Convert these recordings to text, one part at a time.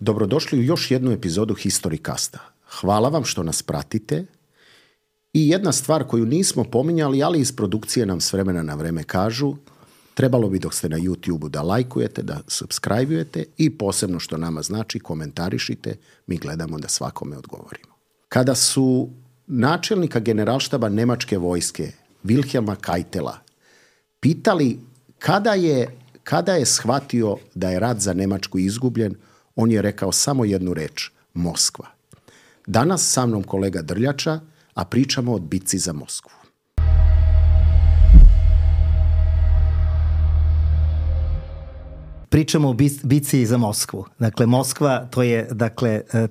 Dobrodošli u još jednu epizodu Historicasta. Hvala vam što nas pratite. I jedna stvar koju nismo pominjali, ali iz produkcije nam s vremena na vreme kažu, trebalo bi dok ste na YouTube-u da lajkujete, da subscribe-ujete i posebno što nama znači komentarišite, mi gledamo da svakome odgovorimo. Kada su načelnika generalštaba nemačke vojske Wilhelma Keitela pitali kada je shvatio da je rat za Njemačku izgubljen, on je rekao samo jednu reč, Moskva. Danas sa mnom kolega Drljača, a pričamo o bitci za Moskvu. Pričamo o bitci za Moskvu. Dakle, Moskva, to je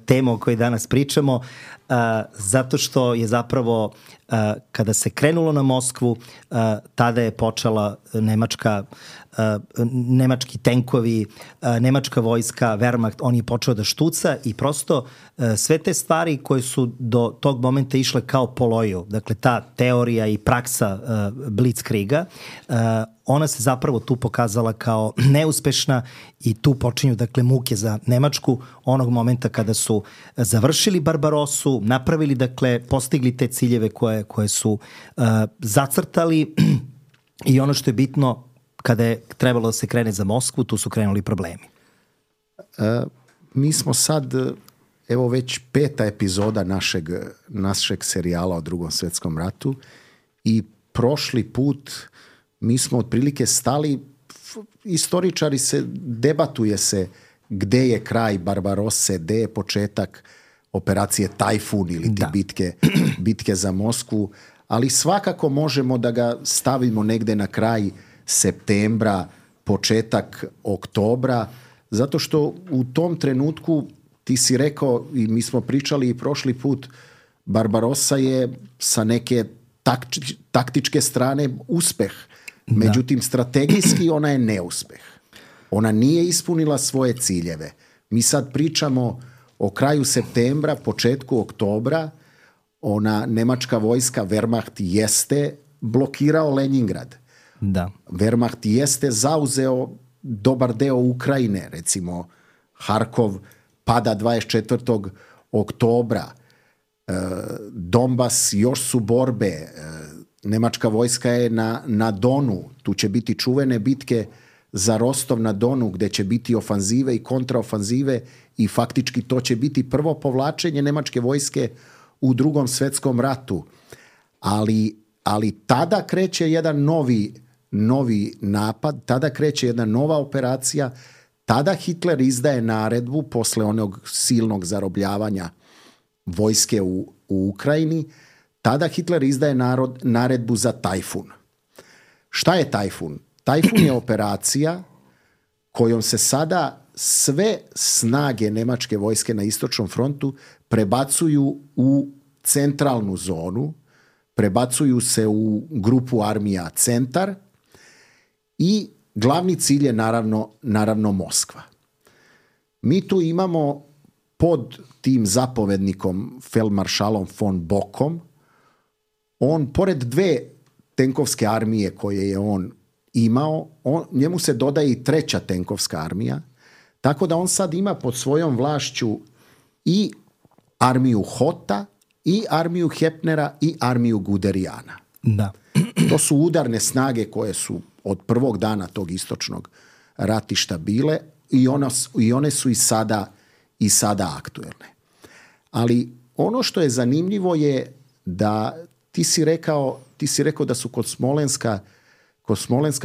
tema o kojoj danas pričamo, zato što je zapravo, kada se krenulo na Moskvu, tada je počela nemački tenkovi, nemačka vojska, Wehrmacht, on je počeo da štuca i prosto sve te stvari koje su do tog momenta išle kao po loju, dakle ta teorija i praksa Blitzkriega, ona se zapravo tu pokazala kao neuspešna i tu počinju muke za Nemačku onog momenta kada su završili Barbarosu, napravili, postigli te ciljeve koje su zacrtali i ono što je bitno, kada je trebalo da se krene za Moskvu, tu su krenuli problemi. Mi smo sad, evo već 5. epizoda našeg serijala o Drugom svjetskom ratu i prošli put mi smo otprilike stali, istoričari debatuje se gde je kraj Barbarose, gde je početak operacije Tajfun ili bitke za Moskvu, ali svakako možemo da ga stavimo negde na kraj septembra, početak oktobra, zato što u tom trenutku ti si rekao i mi smo pričali i prošli put, Barbarossa je sa neke taktičke strane uspeh. Međutim, strategijski ona je neuspeh. Ona nije ispunila svoje ciljeve. Mi sad pričamo o kraju septembra, početku oktobra, ona nemačka vojska Wehrmacht jeste blokirao Leningrad. Da. Wehrmacht jeste zauzeo dobar deo Ukrajine, recimo Harkov pada 24. oktobra, Donbas još su borbe, nemačka vojska je na Donu, tu će biti čuvene bitke za Rostov na Donu gde će biti ofanzive i kontraofanzive i faktički to će biti prvo povlačenje nemačke vojske u Drugom svjetskom ratu. Ali tada kreće jedan novi napad, tada kreće jedna nova operacija, tada Hitler izdaje naredbu posle onog silnog zarobljavanja vojske u Ukrajini, tada Hitler izdaje naredbu za Tajfun. Šta je Tajfun? Tajfun je operacija kojom se sada sve snage nemačke vojske na istočnom frontu prebacuju u centralnu zonu, prebacuju se u grupu armija Centar i glavni cilj je naravno Moskva. Mi tu imamo pod tim zapovednikom feldmaršalom von Bockom, on pored 2 tenkovske armije koje je on imao, njemu se dodaje i 3. tenkovska armija, tako da on sad ima pod svojom vlašću i armiju Hota, i armiju Hepnera, i armiju Guderijana. Da. To su udarne snage koje su od prvog dana tog istočnog ratišta bile i one su i sada aktuelne. Ali ono što je zanimljivo je da ti si rekao da su kod Smolenska,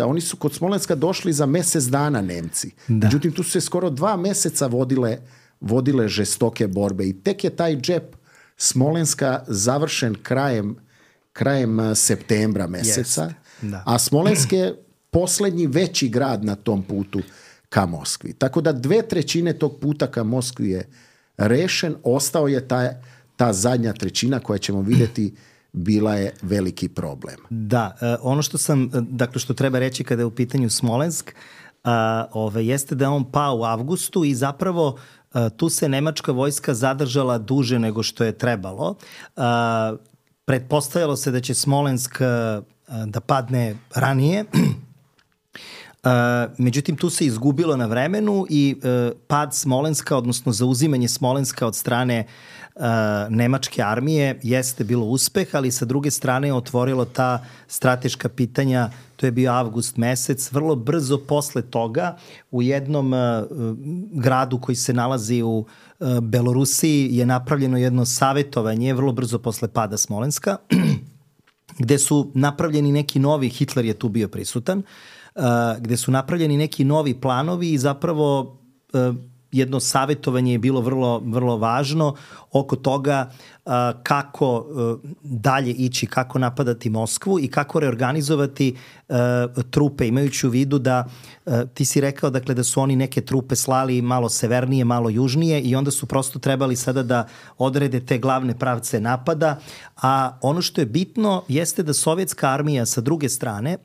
oni su kod Smolenska došli za mjesec dana Nemci. Da. Međutim, tu su se skoro 2 mjeseca vodile žestoke borbe i tek je taj džep Smolenska završen krajem septembra mjeseca, a Smolensk je posljednji veći grad na tom putu ka Moskvi. Tako da 2/3 tog puta ka Moskvi je rešen, ostao je ta zadnja trećina koja ćemo vidjeti bila je veliki problem. Da, ono što treba reći kada je u pitanju Smolensk, jeste da je on pao u avgustu i zapravo tu se nemačka vojska zadržala duže nego što je trebalo. Pretpostavljalo se da će Smolensk da padne ranije. Međutim, tu se izgubilo na vremenu i pad Smolenska, odnosno zauzimanje Smolenska od strane nemačke armije jeste bilo uspeh, ali sa druge strane je otvorilo ta strateška pitanja. To je bio avgust mesec. Vrlo brzo posle toga u jednom gradu koji se nalazi u Belorusiji je napravljeno jedno savetovanje vrlo brzo posle pada Smolenska gde su napravljeni neki novi, Hitler je tu bio prisutan, gde su napravljeni neki novi planovi i zapravo jedno savjetovanje je bilo vrlo važno oko toga kako dalje ići, kako napadati Moskvu i kako reorganizovati trupe, imajući u vidu da ti si rekao dakle, da su oni neke trupe slali malo severnije, malo južnije i onda su prosto trebali sada da odrede te glavne pravce napada, a ono što je bitno jeste da sovjetska armija sa druge strane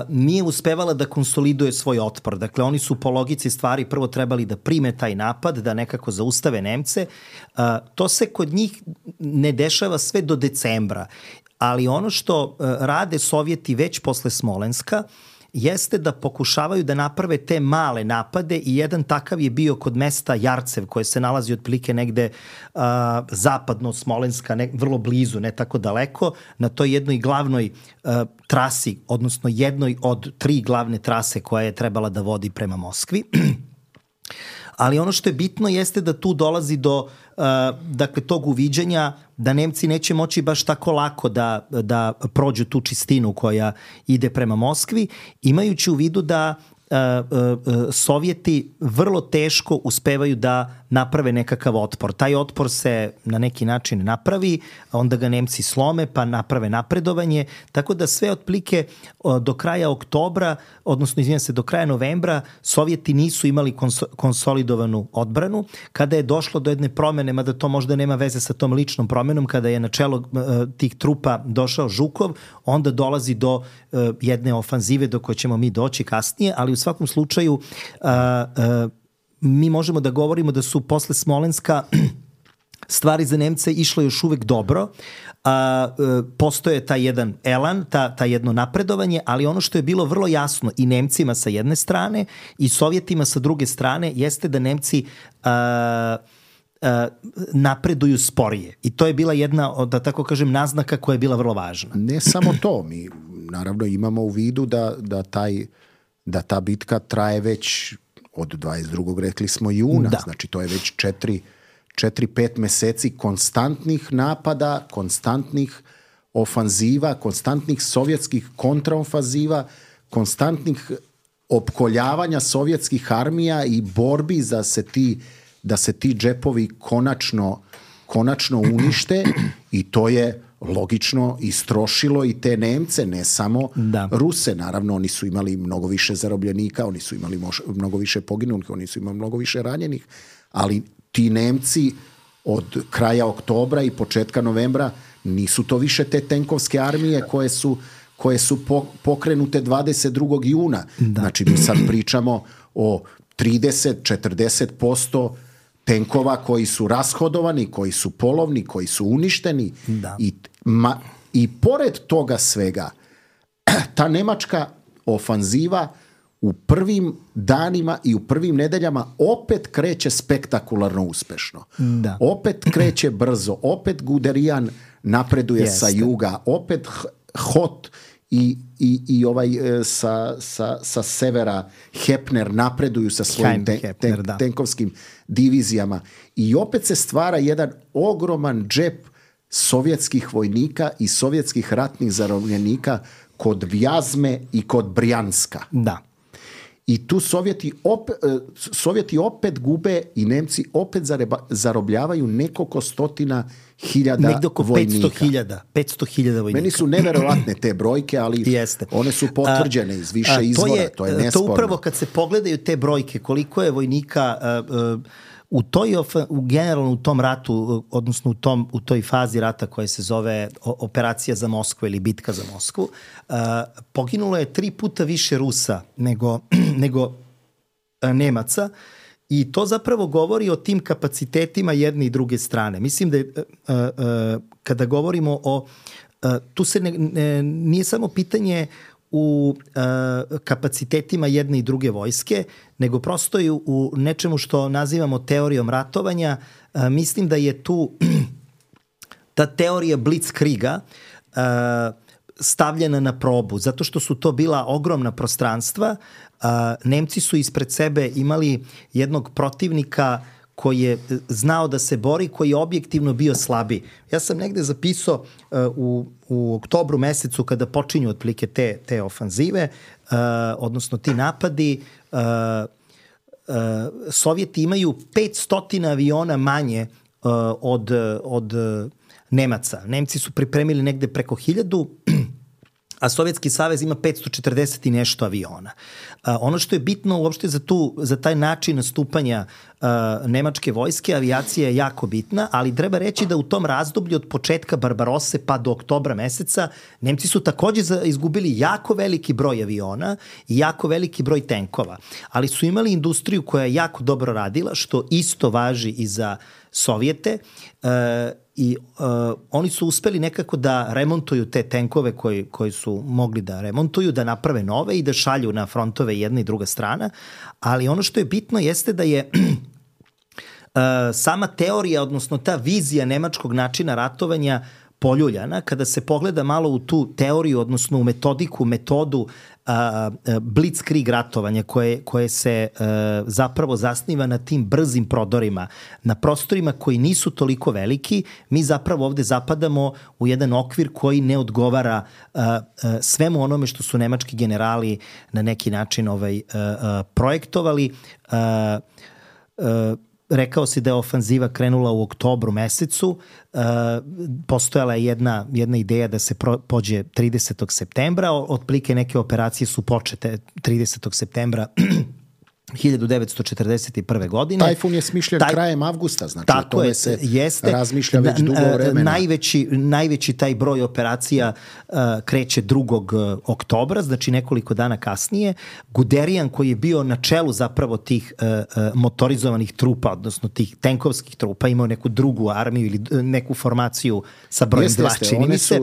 nije uspevala da konsoliduje svoj otpor. Dakle, oni su po logici stvari prvo trebali da prime taj napad, da nekako zaustave Nemce. To se kod njih ne dešava sve do decembra, ali ono što rade Sovjeti već posle Smolenska jeste da pokušavaju da naprave te male napade i jedan takav je bio kod mesta Jarcev koje se nalazi otprilike negde zapadno od Smolenska, vrlo blizu, ne tako daleko, na toj jednoj glavnoj trasi, odnosno jednoj od 3 glavne trase koja je trebala da vodi prema Moskvi. Ali ono što je bitno jeste da tu dolazi do dakle, tog uviđanja da Nemci neće moći baš tako lako da prođu tu čistinu koja ide prema Moskvi, imajući u vidu da Sovjeti vrlo teško uspevaju da naprave nekakav otpor. Taj otpor se na neki način napravi, onda ga Nemci slome pa naprave napredovanje, tako da sve otplike do kraja oktobra, odnosno izvinjam se, do kraja novembra Sovjeti nisu imali konsolidovanu odbranu. Kada je došlo do jedne promene, mada to možda nema veze sa tom ličnom promenom, kada je na čelo tih trupa došao Žukov, onda dolazi do jedne ofanzive do koje ćemo mi doći kasnije, ali u svakom slučaju mi možemo da govorimo da su posle Smolenska stvari za Nemce išle još uvek dobro. Postoje taj jedan elan, ta jedno napredovanje, ali ono što je bilo vrlo jasno i Nemcima sa jedne strane i Sovjetima sa druge strane jeste da Nemci napreduju sporije. I to je bila jedna, da tako kažem, naznaka koja je bila vrlo važna. Ne samo to, mi naravno imamo u vidu da ta bitka traje već od 22. rekli smo juna, znači to je već 4-5 meseci konstantnih napada, konstantnih ofanziva, konstantnih sovjetskih kontraofanziva, konstantnih opkoljavanja sovjetskih armija i borbi da se ti džepovi konačno unište i to je logično istrošilo i te Nemce, ne samo Ruse. Naravno, oni su imali mnogo više zarobljenika, oni su imali mnogo više poginulih, oni su imali mnogo više ranjenih, ali ti Nemci od kraja oktobra i početka novembra nisu to više te tenkovske armije koje su pokrenute 22. juna. Znači, mi sad pričamo o 30-40% tenkova koji su rashodovani, koji su polovni, koji su uništeni. I pored toga svega, ta nemačka ofanziva u prvim danima i u prvim nedeljama opet kreće spektakularno uspešno. Opet kreće brzo, opet Guderian napreduje sa juga, opet Hot i ovaj sa severa Hepner napreduju sa svojim tenkovskim divizijama i opet se stvara jedan ogroman džep sovjetskih vojnika i sovjetskih ratnih zarobljenika kod Vjazme i kod Brjanska. I tu Sovjeti opet gube i Nemci opet zarobljavaju nekoliko stotina hiljada vojnika. Negde oko 500.000 vojnika. Meni su neverovatne te brojke, ali one su potvrđene iz više izvora, to je nesporno. To upravo kad se pogledaju te brojke, koliko je vojnika generalno u tom ratu, odnosno u toj fazi rata koja se zove operacija za Moskvu ili bitka za Moskvu, poginulo je 3 puta više Rusa nego Nemaca i to zapravo govori o tim kapacitetima jedne i druge strane. Mislim da je, kada govorimo o... Tu se nije samo pitanje u kapacitetima jedne i druge vojske, nego prosto i u nečemu što nazivamo teorijom ratovanja. Mislim da je tu ta teorija blitzkriega stavljena na probu, zato što su to bila ogromna prostranstva. Nemci su ispred sebe imali jednog protivnika koji je znao da se bori, koji je objektivno bio slabiji. Ja sam negde zapisao u oktobru mesecu kada počinju otprilike te ofanzive, odnosno ti napadi, Sovjeti imaju 500 aviona manje od Nemaca. Nemci su pripremili negde preko 1000, a Sovjetski savez ima 540 i nešto aviona. Ono što je bitno uopšte za taj način nastupanja nemačke vojske, avijacija je jako bitna, ali treba reći da u tom razdoblju od početka Barbarose pa do oktobra meseca Nemci su takođe izgubili jako veliki broj aviona i jako veliki broj tenkova, ali su imali industriju koja je jako dobro radila, što isto važi i za Sovjete, i oni su uspeli nekako da remontuju te tenkove koji su mogli da remontuju, da naprave nove i da šalju na frontove jedna i druga strana, ali ono što je bitno jeste da je sama teorija, odnosno ta vizija nemačkog načina ratovanja poljuljana. Kada se pogleda malo u tu teoriju, odnosno u metodu blitzkrieg ratovanja koje se zapravo zasniva na tim brzim prodorima, na prostorima koji nisu toliko veliki, mi zapravo ovde zapadamo u jedan okvir koji ne odgovara svemu onome što su nemački generali na neki način projektovali. Rekao si da je ofanziva krenula u oktobru mesecu, postojala je jedna ideja da se pođe 30. septembra, otprilike neke operacije su počete 30. septembra 1941. godine. Tajfun je smišljen krajem avgusta, znači o tome se razmišlja već dugo vremena. Najveći taj broj operacija kreće 2. oktobra, znači nekoliko dana kasnije. Guderian, koji je bio na čelu zapravo tih motorizovanih trupa, odnosno tih tenkovskih trupa, imao neku drugu armiju ili neku formaciju sa brojem 2, čini mi se.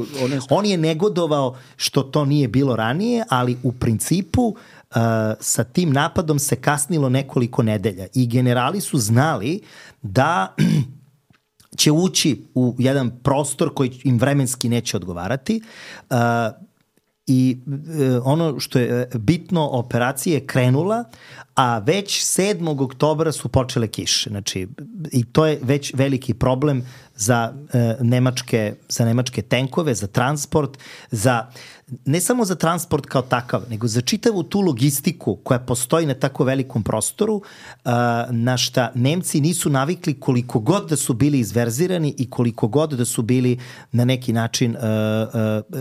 On je negodovao što to nije bilo ranije, ali u principu sa tim napadom se kasnilo nekoliko nedelja i generali su znali da će ući u jedan prostor koji im vremenski neće odgovarati i ono što je bitno, operacija je krenula, a već 7. oktobra su počele kiše. Znači, i to je već veliki problem za nemačke tenkove, za transport, ne samo za transport kao takav, nego za čitavu tu logistiku koja postoji na tako velikom prostoru, na šta Nemci nisu navikli koliko god da su bili izverzirani i koliko god da su bili na neki način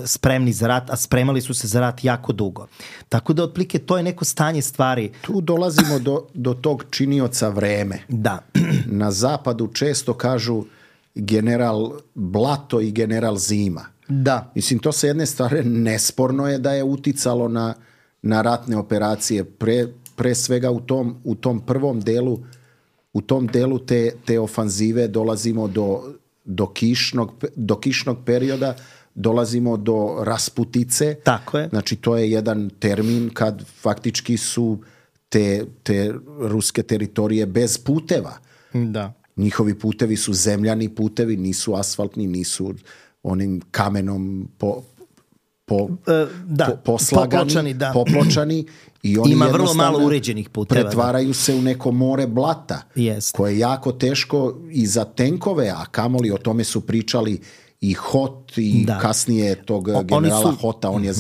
spremni za rat, a spremali su se za rat jako dugo. Tako da, otprilike, to je neko stanje stvari. Tu dolazimo do tog činioca vreme. Da. Na zapadu često kažu general Blato i general Zima. Da. Mislim, to sa jedne strane nesporno je da je uticalo na ratne operacije. Pre svega u tom prvom delu, u tom delu te ofanzive dolazimo do kišnog perioda, dolazimo do rasputice. Tako je. Znači, to je jedan termin kad faktički su te ruske teritorije bez puteva. Da. Njihovi putevi su zemljani putevi, nisu asfaltni, nisu onim kamenom poslagani, popločani. I oni ima vrlo malo uređenih puteva. Pretvaraju se u neko more blata, koje je jako teško i za tenkove, a kamoli o tome su pričali i Hot i kasnije tog generala Hota, on je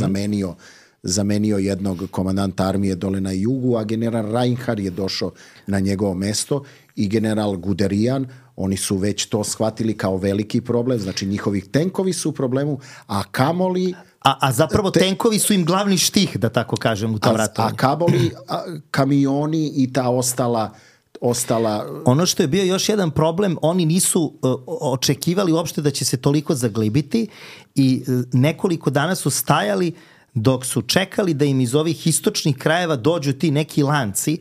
zamenio jednog komandanta armije dole na jugu, a general Reinhardt je došao na njegovo mesto i general Guderian. Oni su već to shvatili kao veliki problem, znači njihovi tenkovi su u problemu, a kamoli... A zapravo tenkovi su im glavni štih, da tako kažem, u tom ratovanju. A kamoli, kamioni i ta ostala... Ono što je bio još jedan problem, oni nisu očekivali uopšte da će se toliko zaglibiti i nekoliko dana su stajali dok su čekali da im iz ovih istočnih krajeva dođu ti neki lanci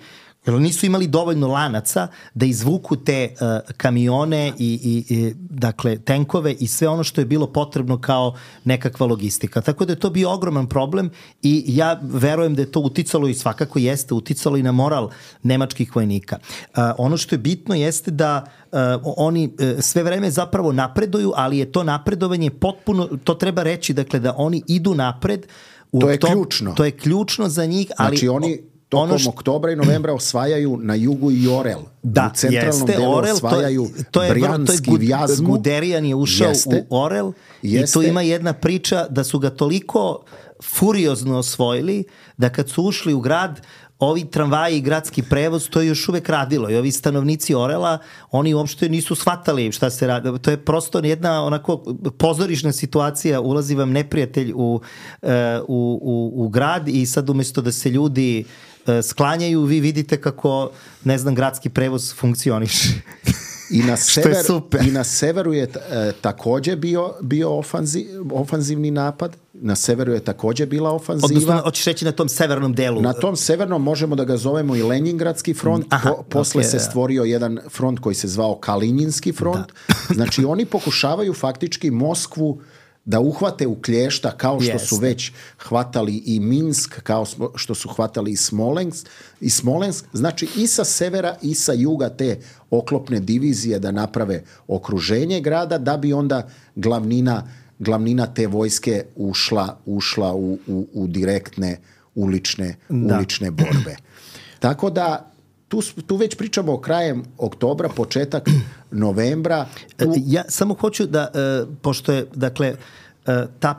Jer nisu imali dovoljno lanaca da izvuku te kamione i dakle tenkove i sve ono što je bilo potrebno kao nekakva logistika. Tako da je to bio ogroman problem i ja verujem da je to uticalo i svakako jeste uticalo i na moral nemačkih vojnika. Ono što je bitno jeste da oni sve vreme zapravo napreduju, ali je to napredovanje potpuno, to treba reći, dakle da oni idu napred. To je ključno. To je ključno za njih, ali... Znači oni tokom oktobra i novembra osvajaju na jugu i Orel. Da, u centralnom delu Orel, osvajaju Brjanski, Vjazmu. Guderian je ušao u Orel i tu ima jedna priča da su ga toliko furiozno osvojili da kad su ušli u grad, ovi tramvaji i gradski prevoz, to je još uvek radilo i ovi stanovnici Orela, oni uopšte nisu shvatali šta se radi. To je prosto jedna onako pozorišna situacija, ulazi vam neprijatelj u grad i sad umesto da se ljudi sklanjaju, vi vidite kako, ne znam, gradski prevoz funkcioniše. I na severu je takođe bio ofanzivni napad. Na severu je takođe bila ofanziva. Odnosno, hoćeš reći na tom severnom delu? Na tom severnom možemo da ga zovemo i Lenjingradski front. Posle se stvorio jedan front koji se zvao Kalinjinski front. Da. Znači, oni pokušavaju faktički Moskvu da uhvate u klješta kao što su već hvatali i Minsk, kao što su hvatali i Smolensk. Znači i sa severa i sa juga te oklopne divizije da naprave okruženje grada, da bi onda glavnina te vojske ušla u direktne ulične borbe. Tako da tu već pričamo o krajem oktobra, početak novembra. Ja samo hoću da, pošto je, dakle,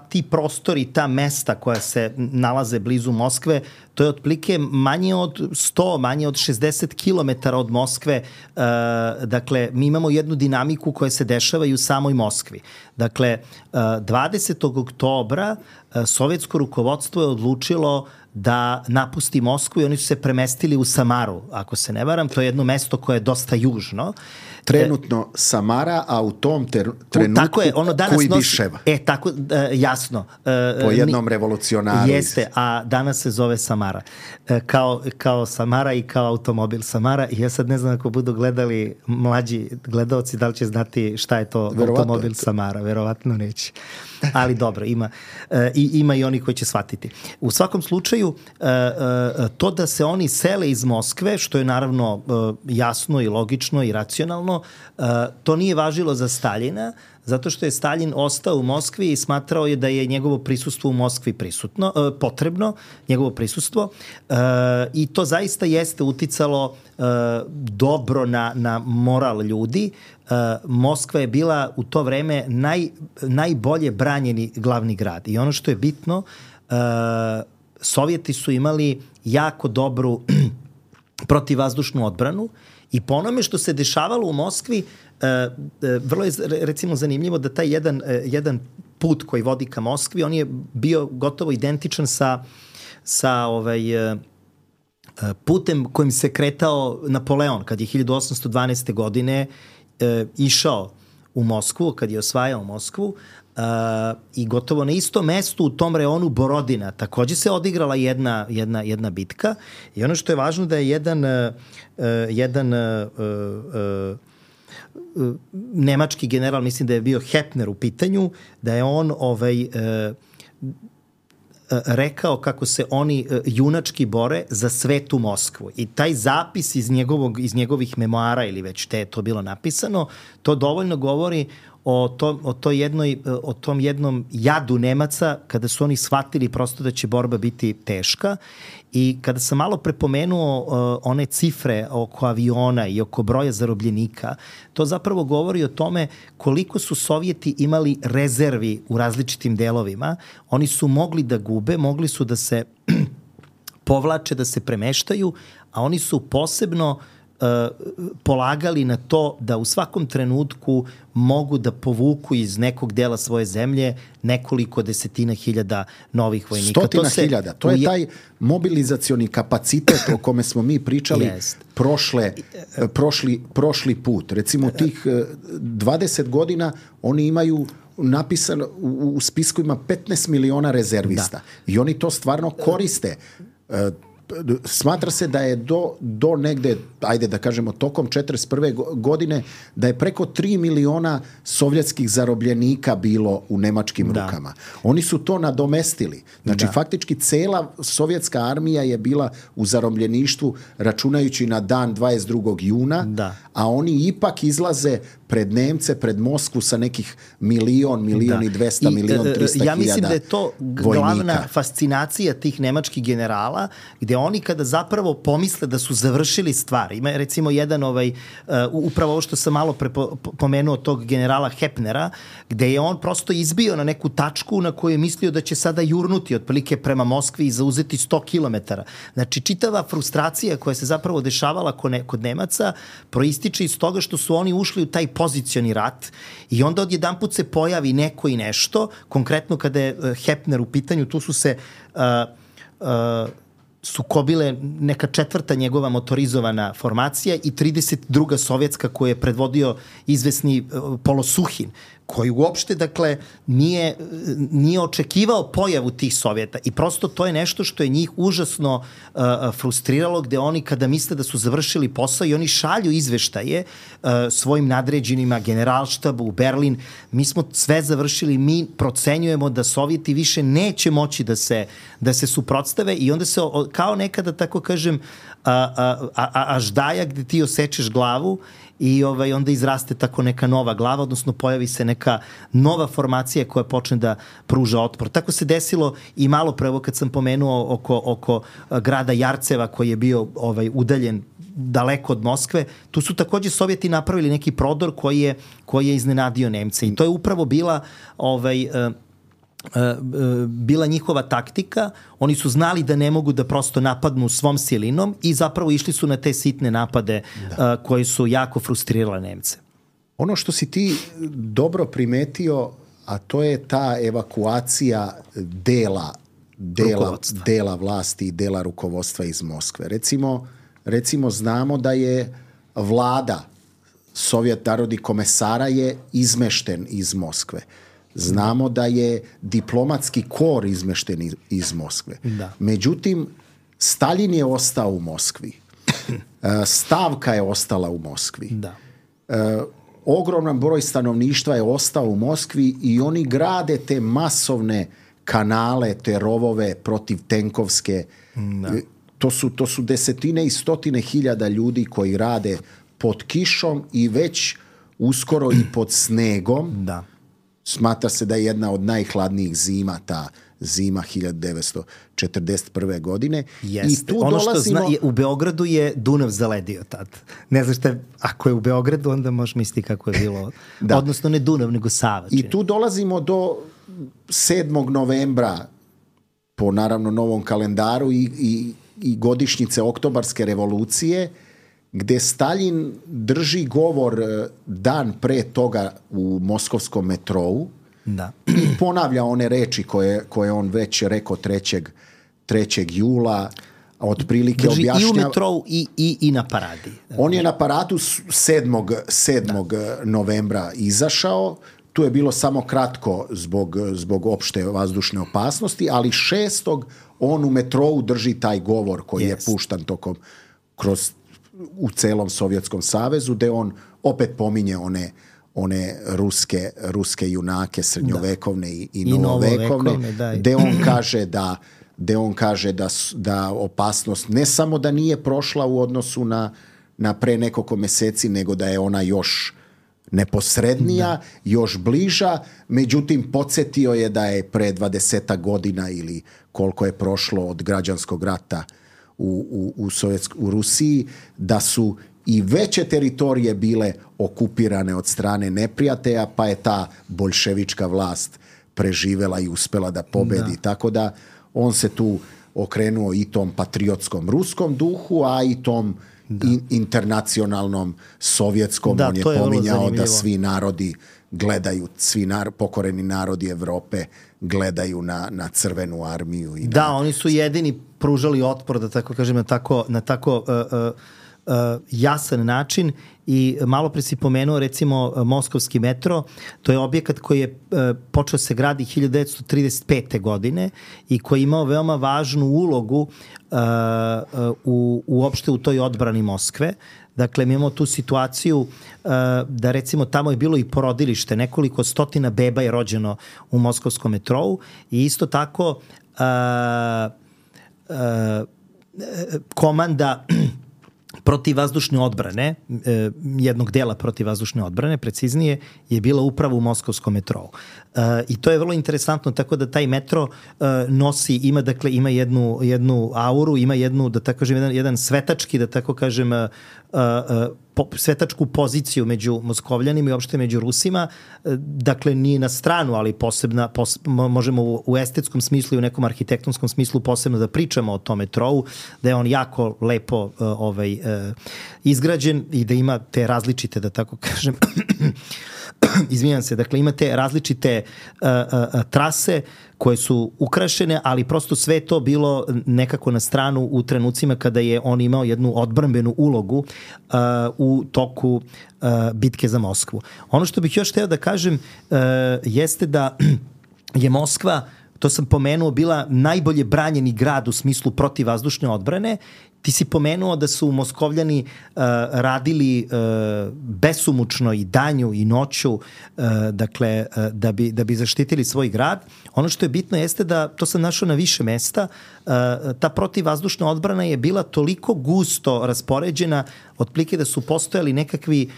ti prostori, ta mesta koja se nalaze blizu Moskve, to je otprilike manje od 100, manje od 60 km od Moskve. Dakle, mi imamo jednu dinamiku koja se dešava i u samoj Moskvi. Dakle, 20. oktobra sovjetsko rukovodstvo je odlučilo da napusti Moskvu i oni su se premestili u Samaru, ako se ne varam. To je jedno mesto koje je dosta južno. Trenutno Samara, a u tom trenutku tako je, ono danas Kujbiševa. Tako, jasno. Po jednom revolucionaru. Jeste, a danas se zove Samara. Kao Samara i kao automobil Samara. I ja sad ne znam ako budu gledali mlađi gledaoci da li će znati šta je to automobil Samara. Verovatno neće. Ali dobro, ima i oni koji će shvatiti. U svakom slučaju, to da se oni sele iz Moskve, što je naravno jasno i logično i racionalno, to nije važilo za Staljina, zato što je Staljin ostao u Moskvi i smatrao je da je njegovo prisustvo u Moskvi potrebno, njegovo prisustvo, i to zaista jeste uticalo dobro na moral ljudi. Moskva je bila u to vreme najbolje branjeni glavni grad i ono što je bitno, Sovjeti su imali jako dobru protivvazdušnu odbranu i po onome što se dešavalo u Moskvi, vrlo je recimo zanimljivo da taj jedan put koji vodi ka Moskvi, on je bio gotovo identičan sa putem kojim se kretao Napoleon kad je 1812. godine išao u Moskvu, kad je osvajao Moskvu, i gotovo na istom mestu u tom reonu Borodina takođe se odigrala jedna bitka i ono što je važno da je jedan nemački general, mislim da je bio Hepner u pitanju, da je on rekao kako se oni junački bore za svetu Moskvu. I taj zapis iz njegovih memoara ili već te je to bilo napisano, to dovoljno govori o tom jednom jadu Nemaca kada su oni shvatili prosto da će borba biti teška. I kada sam malo prepomenuo one cifre oko aviona i oko broja zarobljenika, to zapravo govori o tome koliko su Sovjeti imali rezervi u različitim delovima. Oni su mogli da gube, mogli su da se povlače, da se premeštaju, a oni su posebno polagali na to da u svakom trenutku mogu da povuku iz nekog dela svoje zemlje nekoliko desetina hiljada novih vojnika. Stotina hiljada. To je taj mobilizacioni kapacitet o kome smo mi pričali prošli put. Recimo tih 20 godina oni imaju napisano u spisku ima 15 miliona rezervista. Da. I oni to stvarno koriste. smatra se da je do negde, ajde da kažemo, tokom 1941. godine, da je preko 3 miliona sovjetskih zarobljenika bilo u nemačkim rukama. Oni su to nadomestili. Znači, faktički cela sovjetska armija je bila u zarobljeništvu, računajući na dan 22. juna, a oni ipak izlaze pred Nemce, pred Moskvu sa nekih milion i 200, 1.300.000 ja mislim da je to glavna fascinacija tih nemačkih generala, gde oni kada zapravo pomisle da su završili stvar. Ima recimo jedan upravo ovo što sam malo pomenuo tog generala Hepnera, gde je on prosto izbio na neku tačku na koju je mislio da će sada jurnuti otprilike prema Moskvi i zauzeti 100 kilometara. Znači, čitava frustracija koja se zapravo dešavala kod Nemaca proističe iz toga što su oni ušli u taj pozicioni rat i onda odjedanput se pojavi neko i nešto. Konkretno kada je Hepner u pitanju, tu su se sukobile neka 4. njegova motorizovana formacija i 32. sovjetska koju je predvodio izvesni Polosuhin, koji uopšte, dakle, nije očekivao pojavu tih Sovjeta i prosto to je nešto što je njih užasno frustriralo, gde oni kada misle da su završili posao i oni šalju izveštaje svojim nadređenima, generalštabu u Berlin, mi smo sve završili, mi procenjujemo da Sovjeti više neće moći da se suprotstave i onda se kao nekada, tako kažem, aždaja gde ti osečeš glavu i onda izraste tako neka nova glava, odnosno pojavi se neka nova formacija koja počne da pruža otpor. Tako se desilo i malo pre, kad sam pomenuo oko grada Jarceva koji je bio udaljen daleko od Moskve, tu su takođe Sovjeti napravili neki prodor koji je iznenadio Nemce i to je upravo bila njihova taktika. Oni su znali da ne mogu da prosto napadnu svom silinom i zapravo išli su na te sitne napade koji su jako frustrirale Nemce. Ono što si ti dobro primetio, a to je ta evakuacija dela vlasti i dela rukovodstva iz Moskve. Recimo znamo da je vlada Sovjet narodnih komesara je izmešten iz Moskve. Znamo da je diplomatski kor izmešten iz Moskve. Međutim, Stalin je ostao u Moskvi. Stavka je ostala u Moskvi. Ogroman broj stanovništva je ostao u Moskvi i oni grade te masovne kanale, te rovove protiv tenkovske. To su desetine i stotine hiljada ljudi koji rade pod kišom i već uskoro i pod snegom. Smatra se da je jedna od najhladnijih zima, ta zima 1941. godine. Jeste. I tu dolazimo... u Beogradu je Dunav zaledio tad. Ne znaš šta, ako je u Beogradu, onda možeš misliti kako je bilo. Odnosno ne Dunav, nego Sava. I tu dolazimo do 7. novembra po naravno novom kalendaru i godišnjice Oktobarske revolucije, gde Stalin drži govor dan pre toga u moskovskom metrou i ponavlja one reči koje on već rekao 3. jula, otprilike drži objašnjava... i u metrou i na paradi. On je na paradu 7. novembra izašao, tu je bilo samo kratko zbog opšte vazdušne opasnosti, ali 6. on u metrou drži taj govor koji je puštan u celom Sovjetskom savezu, gde on opet pominje one ruske junake srednjovekovne i novovekovne, gde on kaže da opasnost ne samo da nije prošla u odnosu na pre nekoliko meseci, nego da je ona još neposrednija, još bliža. Međutim, podsjetio je da je pre 20 godina ili koliko je prošlo od građanskog rata u Rusiji, da su i veće teritorije bile okupirane od strane neprijatelja, pa je ta boljševička vlast preživela i uspela da pobedi. Tako da on se tu okrenuo i tom patriotskom ruskom duhu, a i tom internacionalnom sovjetskom. On je pominjao da svi narodi gledaju, pokoreni narodi Evrope gledaju na crvenu armiju. Oni su jedini pružali otpor, da tako kažem, na tako jasan način i malo pre si pomenuo recimo Moskovski metro, to je objekat koji je počeo se gradi 1935. godine i koji je imao veoma važnu ulogu uopšte u toj odbrani Moskve. Dakle, mi imamo tu situaciju da recimo tamo je bilo i porodilište, nekoliko stotina beba je rođeno u moskovskom metrou i isto tako komanda protivvazdušne odbrane, jednog dela protivvazdušne odbrane, preciznije, je bila upravo u moskovskom metrou. I to je vrlo interesantno, tako da taj metro nosi, ima jednu auru, ima jednu, da tako kažem, jedan svetački, da tako kažem, svetačku poziciju među Moskovljanima i uopšte među Rusima, dakle nije na stranu, ali možemo u estetskom smislu i u nekom arhitektonskom smislu posebno da pričamo o tom metrou, da je on jako lepo izgrađen i da ima te različite, da tako kažem, izvinjam se, dakle ima te različite trase koje su ukrašene, ali prosto sve to bilo nekako na stranu u trenucima kada je on imao jednu odbrambenu ulogu u toku bitke za Moskvu. Ono što bih još hteo da kažem jeste da je Moskva, to sam pomenuo, bila najbolje branjeni grad u smislu protivvazdušne odbrane. Ti si pomenuo da su Moskovljani radili besumučno i danju i noću, dakle, da bi zaštitili svoj grad. Ono što je bitno jeste da, to sam našao na više mesta, ta protivvazdušna odbrana je bila toliko gusto raspoređena, otprilike da su postojali nekakvi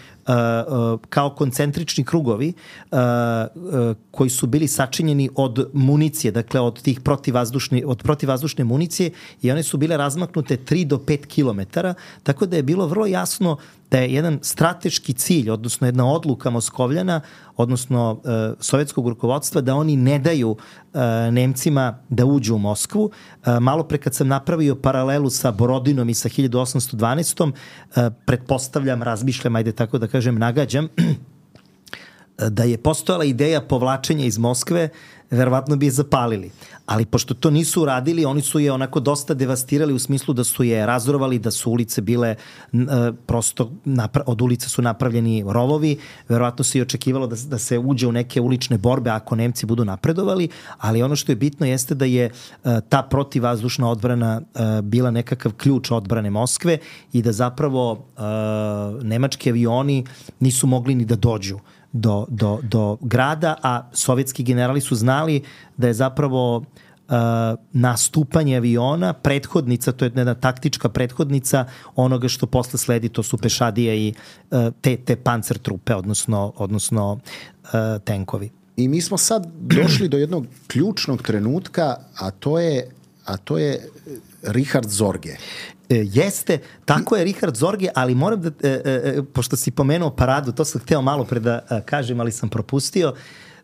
kao koncentrični krugovi koji su bili sačinjeni od municije, dakle od tih protivvazdušne municije, i one su bile razmaknute 3 do 5 kilometara, tako da je bilo vrlo jasno da je jedan strateški cilj, odnosno jedna odluka Moskovljana, odnosno sovjetskog rukovodstva, da oni ne daju Nemcima da uđu u Moskvu. Malo pre kad sam napravio paralelu sa Borodinom i sa 1812. Pretpostavljam, razmišljam, ajde tako da kažem, nagađam, da je postojala ideja povlačenja iz Moskve, verovatno bi je zapalili. Ali pošto to nisu uradili, oni su je onako dosta devastirali u smislu da su je razrovali, da su ulice bile prosto, od ulica su napravljeni rovovi, verovatno se i očekivalo da se uđe u neke ulične borbe ako Nemci budu napredovali, ali ono što je bitno jeste da je ta protivvazdušna odbrana bila nekakav ključ odbrane Moskve i da zapravo nemački avioni nisu mogli ni da dođu do grada, a sovjetski generali su znali da je zapravo nastupanje aviona prethodnica, to je jedna taktička prethodnica onoga što posle sledi, to su pešadije i te pancer trupe, odnosno tenkovi. I mi smo sad došli do jednog ključnog trenutka, a to je Richard Zorge. Jeste, tako je Richard Zorge, ali moram da, pošto si pomenuo paradu, to sam hteo malo pre da kažem, ali sam propustio,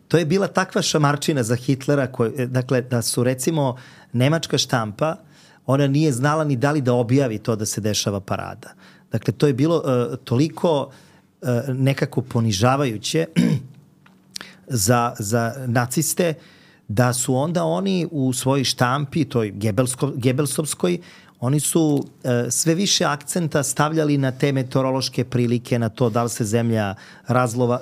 to je bila takva šamarčina za Hitlera, dakle, da su recimo nemačka štampa, ona nije znala ni da li da objavi to da se dešava parada. Dakle, to je bilo toliko nekako ponižavajuće za naciste, da su onda oni u svojoj štampi, toj Gebelsovskoj, oni su sve više akcenta stavljali na te meteorološke prilike, na to da li se zemlja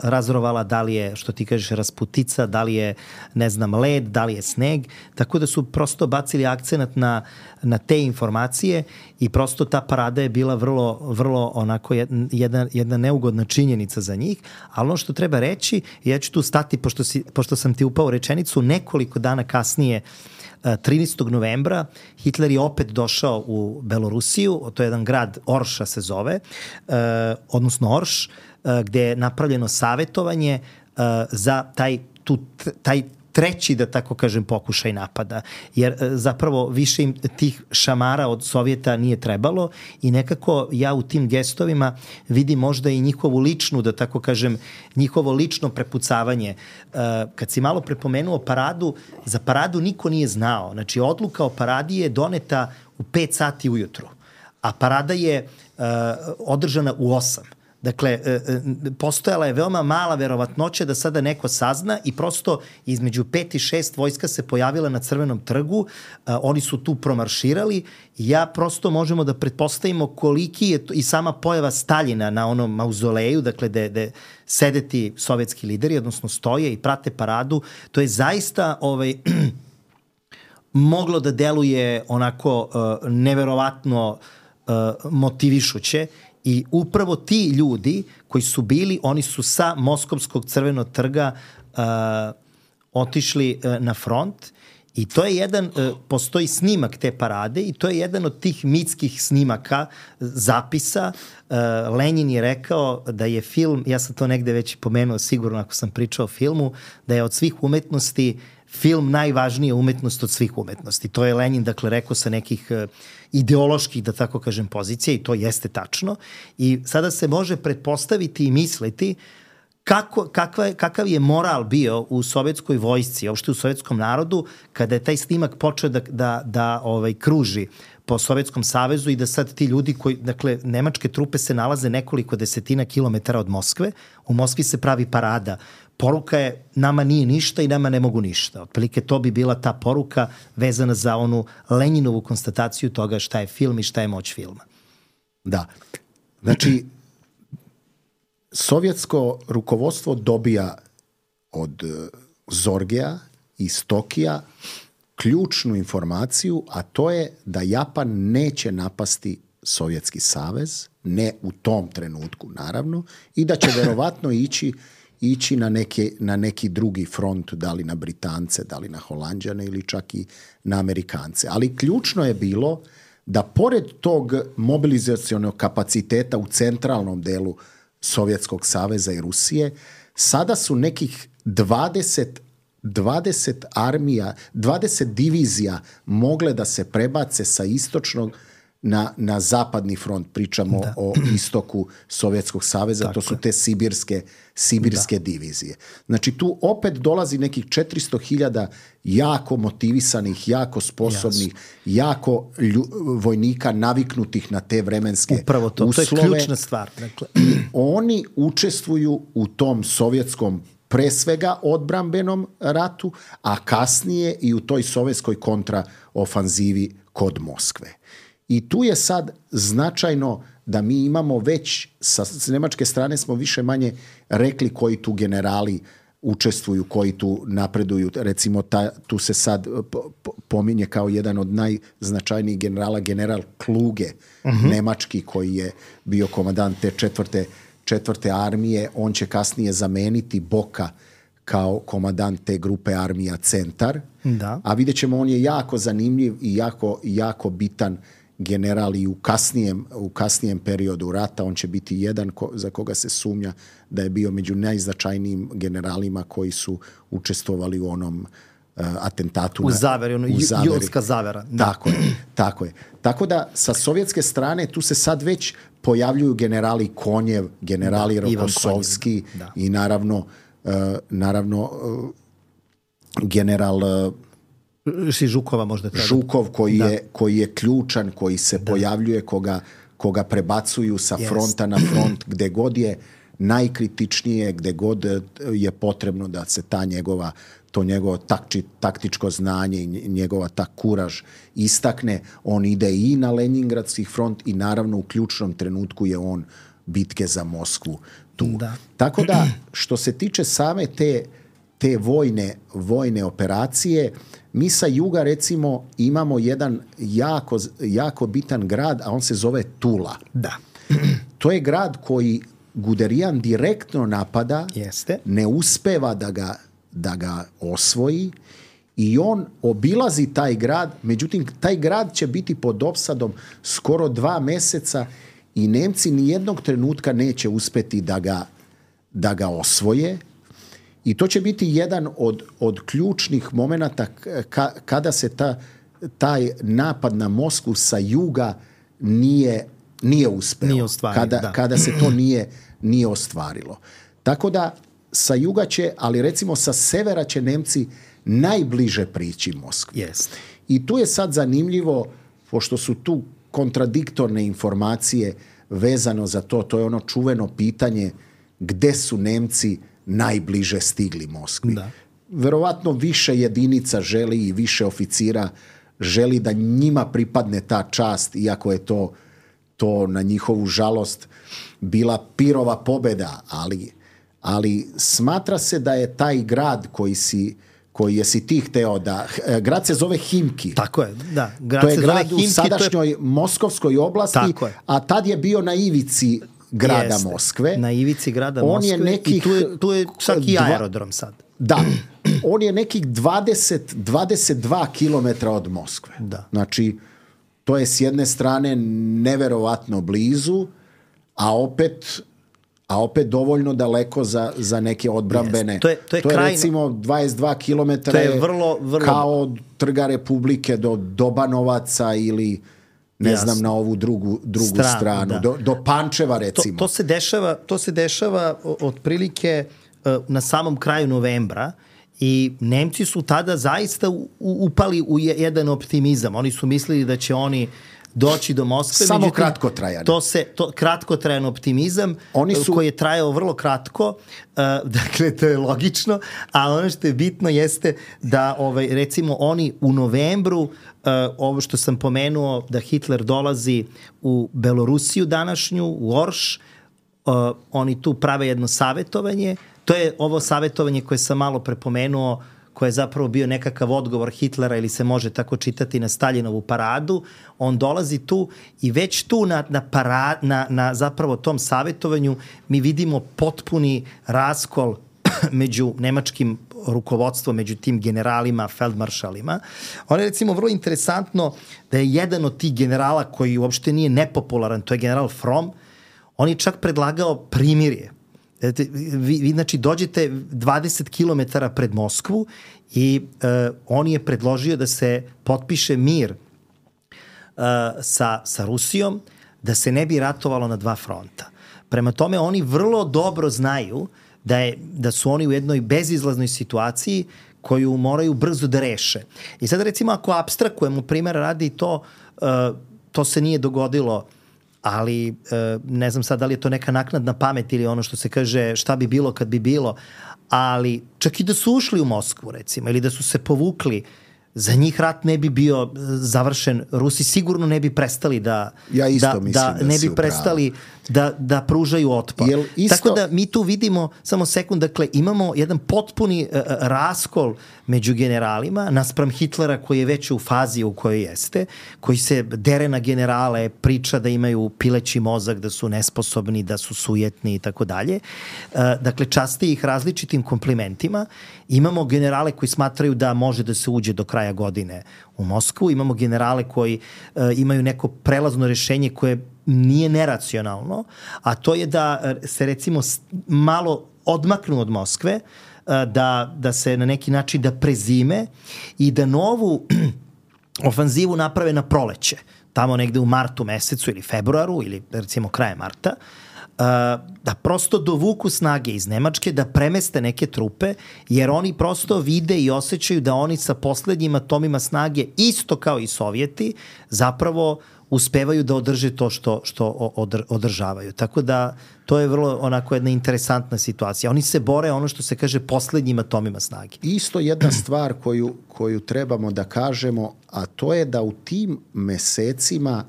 razrovala, da li je, što ti kažeš, rasputica, da li je, ne znam, led, da li je sneg, tako da su prosto bacili akcenat na te informacije i prosto ta parada je bila vrlo onako jedna neugodna činjenica za njih, ali ono što treba reći, ja ću tu stati, pošto sam ti upao rečenicu, nekoliko dana kasnije, 13. novembra, Hitler je opet došao u Belorusiju, to je jedan grad, Orša se zove, odnosno Orš, gde je napravljeno savetovanje za taj treći, da tako kažem, pokušaj napada. Jer zapravo više im tih šamara od Sovjeta nije trebalo i nekako ja u tim gestovima vidim možda i njihovu ličnu, da tako kažem, njihovo lično prepucavanje. Kad si malo prepomenuo paradu, za paradu niko nije znao. Znači, odluka o paradi je doneta u 5 sati ujutru, a parada je održana u 8. Dakle, postojala je veoma mala verovatnoća da sada neko sazna i prosto između 5 i 6 vojska se pojavila na Crvenom trgu, oni su tu promarširali i prosto možemo da pretpostavimo koliki je to, i sama pojava Staljina na onom mauzoleju, dakle gde sede ti sovjetski lideri, odnosno stoje i prate paradu, to je zaista moglo da deluje onako neverovatno motivišuće. I upravo ti ljudi koji su bili, oni su sa Moskovskog Crvenog trga otišli na front i to je jedan, postoji snimak te parade i to je jedan od tih mitskih snimaka, zapisa. Lenin je rekao da je film, ja sam to negde već pomenuo sigurno ako sam pričao o filmu, da je od svih umetnosti film najvažnija umetnost od svih umetnosti. To je Lenin, dakle, rekao sa nekih ideoloških, da tako kažem, pozicija i to jeste tačno. I sada se može pretpostaviti i misliti kakav je moral bio u sovjetskoj vojsci, uopšte u sovjetskom narodu, kada je taj snimak počeo da kruži po Sovjetskom savezu i da sad ti ljudi koji, dakle, nemačke trupe se nalaze nekoliko desetina kilometara od Moskve, u Moskvi se pravi parada. Poruka je nama nije ništa i nama ne mogu ništa. Otprilike to bi bila ta poruka vezana za onu Leninovu konstataciju toga šta je film i šta je moć filma. Da. Znači, sovjetsko rukovodstvo dobija od Zorgea i Stokija ključnu informaciju, a to je da Japan neće napasti Sovjetski savez, ne u tom trenutku naravno, i da će verovatno ići na neki drugi front, da li na Britance, da li na Holanđane ili čak i na Amerikance. Ali ključno je bilo da pored tog mobilizacionog kapaciteta u centralnom delu Sovjetskog saveza i Rusije, sada su nekih 20 armija, 20 divizija mogle da se prebace sa istočnog na zapadni front. Pričamo o istoku Sovjetskog saveza, tako, to su te sibirske divizije. Znači tu opet dolazi nekih 400.000 jako motivisanih, jako sposobnih, jako vojnika naviknutih na te vremenske uslove. Upravo to je ključna stvar. Dakle. Oni učestvuju u tom sovjetskom pre svega odbrambenom ratu, a kasnije i u toj sovjetskoj kontraofanzivi kod Moskve. I tu je sad značajno da mi imamo već, sa nemačke strane smo više manje rekli koji tu generali učestvuju, koji tu napreduju. Recimo, tu se sad pominje kao jedan od najznačajnijih generala, general Kluge, nemački, koji je bio komandant te četvrte armije. On će kasnije zameniti Boka kao komandant te grupe armija Centar. Da. A vidjet ćemo, on je jako zanimljiv i jako bitan general i u kasnijem periodu rata. On će biti jedan za koga se sumnja da je bio među najznačajnijim generalima koji su učestvovali u onom atentatu. U zaveri. Julska zavera. Da. Tako je. Tako da sa sovjetske strane tu se sad već pojavljuju generali Konjev, generali Rokossovski i naravno general Žukova možda treba. Žukov koji je ključan, koji se pojavljuje, koga prebacuju sa fronta na front, gde god je najkritičnije, gde god je potrebno da se to njegovo taktičko znanje i njegova ta kuraž istakne. On ide i na Leningradski front i naravno u ključnom trenutku je on bitke za Moskvu tu. Da. Tako da, što se tiče same te vojne operacije, mi sa juga recimo imamo jedan jako bitan grad, a on se zove Tula. Da. To je grad koji Guderian direktno napada, ne uspeva da ga osvoji i on obilazi taj grad, međutim taj grad će biti pod opsadom skoro 2 meseca i Nemci nijednog trenutka neće uspeti da ga osvoje. I to će biti jedan od ključnih momenata kada se taj napad na Moskvu sa juga nije uspeo. Kada se to nije ostvarilo. Tako da sa juga će, ali recimo sa severa će Nemci najbliže prići Moskvi. Jest. I tu je sad zanimljivo, pošto su tu kontradiktorne informacije, vezano za to. To je ono čuveno pitanje gde su Nemci najbliže stigli Moskvi. Da. Verovatno više jedinica želi i više oficira želi da njima pripadne ta čast, iako je to na njihovu žalost bila pirova pobeda, ali smatra se da je taj grad koji jesi ti hteo da... Grad se zove Himki. Tako je, da. To je grad u sadašnjoj Moskovskoj oblasti, a tad je bio na ivici grada Moskve. Na ivici grada Moskve i tu je čak i aerodrom sad. Da, on je nekih 22 kilometra od Moskve. Da. Znači, to je s jedne strane neverovatno blizu, a opet dovoljno daleko za neke odbrambene. To je recimo 22 kilometara je vrlo... kao od Trga Republike do Dobanovaca ili ne znam na ovu drugu stranu. Do Pančeva recimo. To se dešava otprilike na samom kraju novembra i Nemci su tada zaista upali u jedan optimizam. Oni su mislili da će oni doći do Moskve. Samo kratkotrajan. Kratkotrajan optimizam koji je trajao vrlo kratko. Dakle, to je logično. A ono što je bitno jeste da recimo oni u novembru, ovo što sam pomenuo, da Hitler dolazi u Belorusiju današnju, u Orš, oni tu prave jedno savjetovanje. To je ovo savjetovanje koje sam malo prepomenuo, koje je zapravo bio nekakav odgovor Hitlera ili se može tako čitati na Staljinovu paradu. On dolazi tu i već tu na zapravo tom savjetovanju mi vidimo potpuni raskol među nemačkim rukovodstvom, među tim generalima, feldmaršalima. Ono je recimo vrlo interesantno da je jedan od tih generala koji uopšte nije nepopularan, to je general Fromm, on je čak predlagao primirje. Vi znači dođete 20 km pred Moskvu i on je predložio da se potpiše mir sa Rusijom, da se ne bi ratovalo na dva fronta. Prema tome oni vrlo dobro znaju da su oni u jednoj bezizlaznoj situaciji koju moraju brzo da reše. I sad recimo ako apstrakujemo primjer radi to se nije dogodilo, ali ne znam sad da li je to neka naknadna pamet ili ono što se kaže šta bi bilo kad bi bilo, ali čak i da su ušli u Moskvu recimo ili da su se povukli, za njih rat ne bi bio završen. Rusi sigurno ne bi prestali da pružaju otpor. Tako da mi tu vidimo, samo sekund, dakle imamo jedan potpuni raskol među generalima naspram Hitlera koji je već u fazi u kojoj jeste, koji se dere na generale, priča da imaju pileći mozak, da su nesposobni, da su sujetni i tako dalje. Dakle, časti ih različitim komplimentima. Imamo generale koji smatraju da može da se uđe do kraja godine u Moskvu. Imamo generale koji imaju neko prelazno rešenje koje nije neracionalno, a to je da se recimo malo odmaknu od Moskve, da se na neki način da prezime i da novu ofanzivu naprave na proleće, tamo negde u martu mesecu ili februaru ili recimo kraje marta, da prosto dovuku snage iz Nemačke, da premeste neke trupe, jer oni prosto vide i osjećaju da oni sa poslednjim atomima snage, isto kao i Sovjeti, zapravo uspevaju da održe to što održavaju. Tako da to je vrlo onako jedna interesantna situacija. Oni se bore ono što se kaže poslednjim atomima snage. Isto jedna stvar koju trebamo da kažemo, a to je da u tim mesecima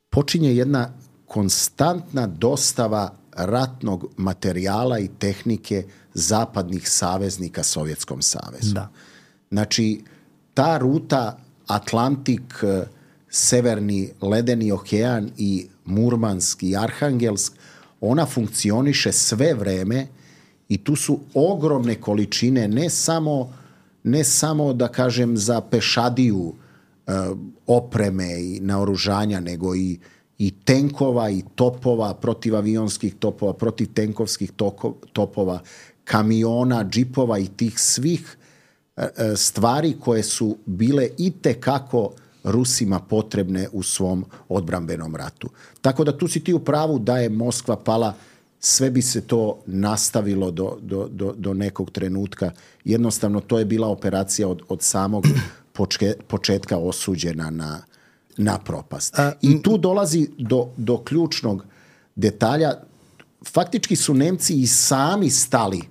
počinje jedna konstantna dostava ratnog materijala i tehnike zapadnih saveznika Sovjetskom savezu. Da. Znači, ta ruta Atlantik, Severni ledeni okean i Murmansk i Arhangelsk, ona funkcioniše sve vreme i tu su ogromne količine, ne samo da kažem za pešadiju opreme i naoružanja, nego i tenkova i topova, protivavionskih topova, protivtenkovskih topova, kamiona, džipova i tih svih stvari koje su bile itekako Rusima potrebne u svom odbrambenom ratu. Tako da tu si ti u pravu da je Moskva pala, sve bi se to nastavilo do nekog trenutka. Jednostavno to je bila operacija od samog početka osuđena na propast. I tu dolazi do ključnog detalja. Faktički su Nemci i sami stali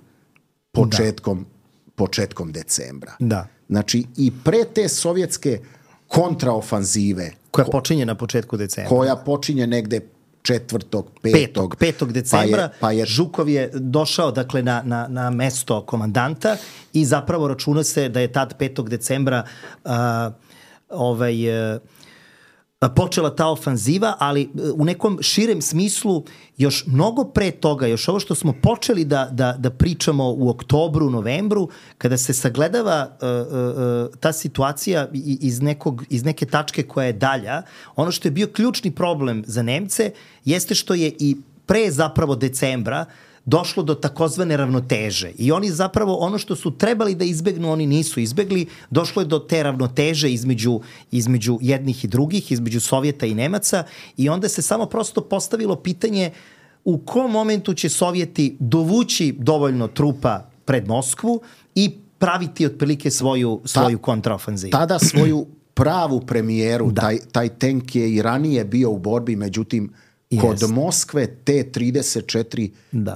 početkom decembra. Da. Znači i pre te sovjetske kontraofanzive koja počinje na početku decembra. Koja počinje negde 5. decembra. Žukov je došao dakle na mesto komandanta i zapravo računa se da je tad 5. decembra počela ta ofanziva, ali u nekom širem smislu još mnogo pre toga, još ovo što smo počeli da pričamo u oktobru, novembru, kada se sagledava ta situacija iz neke tačke koja je dalja, ono što je bio ključni problem za Nemce jeste što je i pre zapravo decembra došlo do takozvane ravnoteže. I oni zapravo ono što su trebali da izbegnu, oni nisu izbegli. Došlo je do te ravnoteže između jednih i drugih, između Sovjeta i Nemaca i onda se samo prosto postavilo pitanje u kom momentu će Sovjeti dovući dovoljno trupa pred Moskvu i praviti otprilike svoju kontraofanzivu. Tada svoju pravu premijeru, taj tank je i ranije bio u borbi, međutim kod Moskve T-34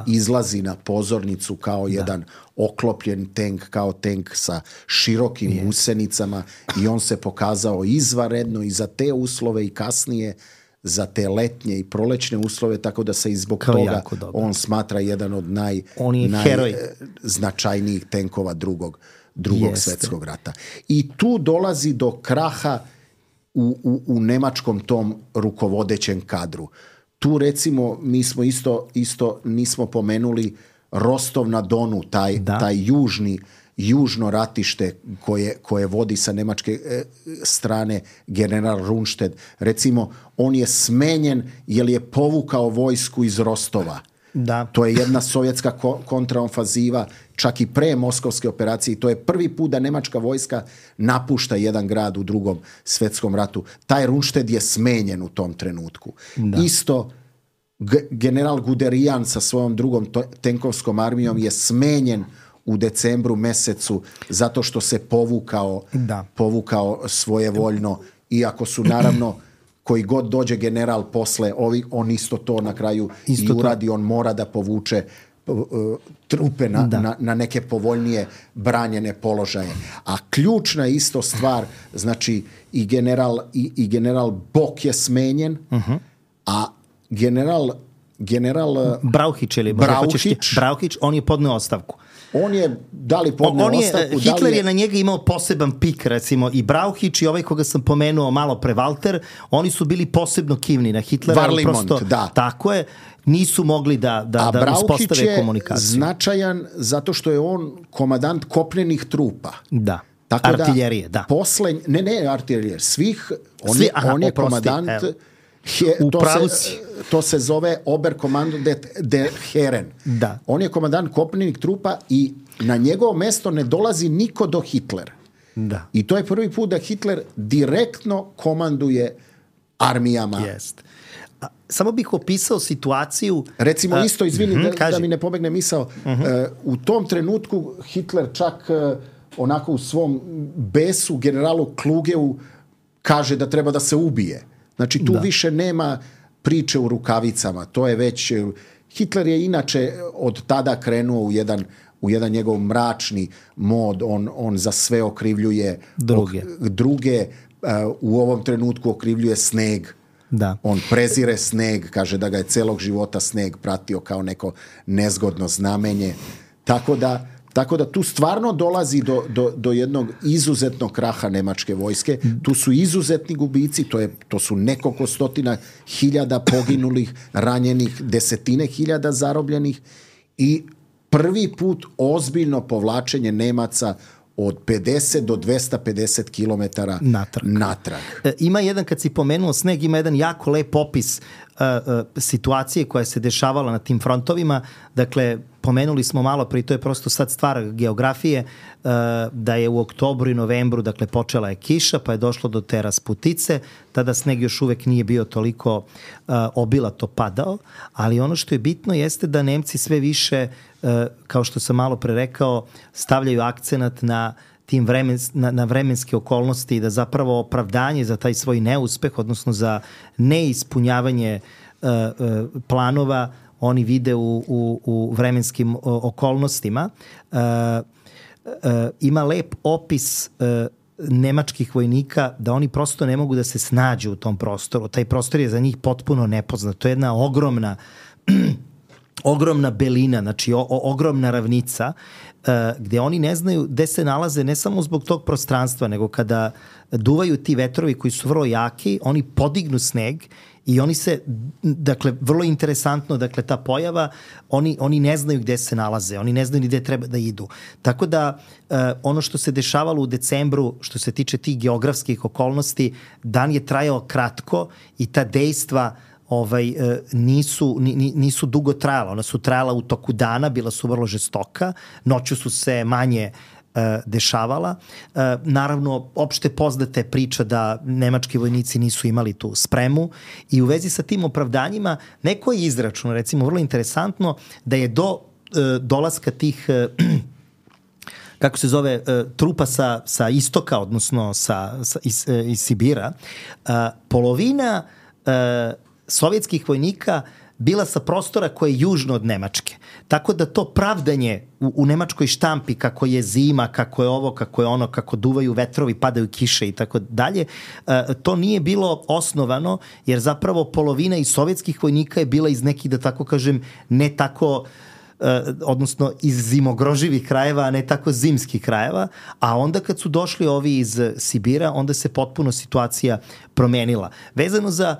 izlazi na pozornicu kao jedan oklopljen tank, kao tank sa širokim gusenicama i on se pokazao izvanredno i za te uslove i kasnije za te letnje i prolećne uslove, tako da se i zbog toga on smatra jedan od najznačajnijih tenkova drugog svjetskog rata. I tu dolazi do kraha u nemačkom tom rukovodećem kadru. Tu recimo mi smo isto nismo pomenuli Rostov na Donu, taj južno ratište koje vodi sa nemačke strane general Rundstedt. Recimo, on je smenjen jer je povukao vojsku iz Rostova. Da. To je jedna sovjetska kontraofanziva, čak i pre moskovske operacije. To je prvi put da nemačka vojska napušta jedan grad u Drugom svjetskom ratu. Taj Rundstedt je smenjen u tom trenutku. Isto general Guderian sa svojom drugom tenkovskom armijom je smenjen u decembru mesecu zato što se povukao svojevoljno, iako su naravno koji god dođe general posle, on isto to na kraju i uradi, on mora da povuče trupe na neke povoljnije branjene položaje. A ključna isto stvar, znači i general Bok je smenjen, a general Brauhić, on je podneo ostavku. On je, da li podneo ostavku? Hitler je na njega imao poseban pik, recimo, i Brauhić i ovaj koga sam pomenuo malo pre, Walter, oni su bili posebno kivni na Hitlera. Varlimont, da. Tako je, nisu mogli da uspostave komunikaciju. A Brauhić je značajan zato što je on komandant kopnenih trupa. Da. Artiljerije, da. Ne artiljerije, on je komandant... To se zove Oberkommando der Herren. Da. On je komandant kopnenih trupa i na njegovo mesto ne dolazi niko do Hitlera. Da. I to je prvi put da Hitler direktno komanduje armijama. Jest. Samo bih opisao situaciju... Recimo isto, izvini, da mi ne pobegne misao, u tom trenutku Hitler čak onako u svom besu generalu Klugeu kaže da treba da se ubije. Znači tu više nema priče u rukavicama, to je već... Hitler je inače od tada krenuo u jedan njegov mračni mod, on za sve okrivljuje druge, u ovom trenutku okrivljuje sneg. Da. On prezire sneg, kaže da ga je celog života sneg pratio kao neko nezgodno znamenje. Tako da tu stvarno dolazi do jednog izuzetnog kraha nemačke vojske. Tu su izuzetni gubici, to su nekoliko stotina hiljada poginulih, ranjenih, desetine hiljada zarobljenih i prvi put ozbiljno povlačenje Nemaca od 50 do 250 kilometara natrag. Ima jedan, kad si pomenuo sneg, ima jedan jako lep opis situacije koja se dešavala na tim frontovima. Dakle, pomenuli smo malo prije, to je prosto sad stvar geografije, da je u oktobru i novembru, dakle, počela je kiša, pa je došlo do te rasputice, tada sneg još uvek nije bio toliko obilato padao, ali ono što je bitno jeste da Nemci sve više, kao što sam malo pre rekao, stavljaju akcenat na na vremenske okolnosti i da zapravo opravdanje za taj svoj neuspeh, odnosno za neispunjavanje planova, oni vide u vremenskim okolnostima. Ima lep opis nemačkih vojnika da oni prosto ne mogu da se snađu u tom prostoru. Taj prostor je za njih potpuno nepoznat. To je jedna ogromna belina, znači ogromna ravnica, gde oni ne znaju gde se nalaze, ne samo zbog tog prostranstva, nego kada duvaju ti vetrovi koji su vrlo jaki, oni podignu sneg i oni se, dakle, vrlo interesantno, dakle, ta pojava, oni ne znaju gde se nalaze, oni ne znaju ni gde treba da idu. Tako da, ono što se dešavalo u decembru, što se tiče tih geografskih okolnosti, dan je trajao kratko i ta dejstva nisu dugo trajala. Ona su trajala u toku dana, bila su vrlo žestoka, noću su se manje dešavala. Naravno, opšte poznata je priča da nemački vojnici nisu imali tu spremu i u vezi sa tim opravdanjima neko je izračunao, recimo vrlo interesantno, da je do dolaska tih kako se zove, trupa sa istoka, odnosno iz Sibira, polovina sovjetskih vojnika bila sa prostora koje je južno od Nemačke. Tako da to pravdanje u nemačkoj štampi kako je zima, kako je ovo, kako je ono, kako duvaju vetrovi, padaju kiše i tako dalje, to nije bilo osnovano, jer zapravo polovina iz sovjetskih vojnika je bila iz nekih, da tako kažem, ne tako odnosno iz zimogroživih krajeva, a ne tako zimskih krajeva, a onda kad su došli ovi iz Sibira, onda se potpuno situacija promenila. Vezano za,